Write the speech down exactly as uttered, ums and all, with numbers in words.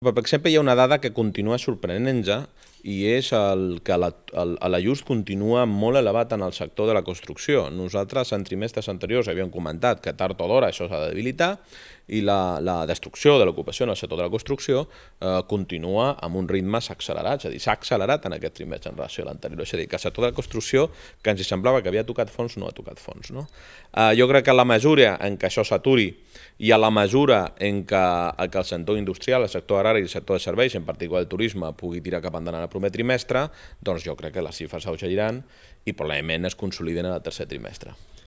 Per exemple, hi ha una dada que continua sorprenent-nos i és el que l'ajust continua molt elevat en el sector de la construcció. Nosaltres en trimestres anteriors havíem comentat que tard o d'hora això s'ha de debilitar i la, la destrucció de l'ocupació en el sector de la construcció eh, continua amb uns ritmes accelerats, és a dir, s'ha accelerat en aquest trimestre en relació a l'anterior. És a dir, que el sector de la construcció, que ens semblava que havia tocat fons, no ha tocat fons. No? Eh, jo crec que a la mesura en què això s'aturi i a la mesura en què, que el sector industrial, el sector agrari i el sector de serveis, en particular el turisme, pugui tirar cap endavant el primer trimestre, doncs jo crec que les xifres s'augeriran i probablement es consoliden en el tercer trimestre.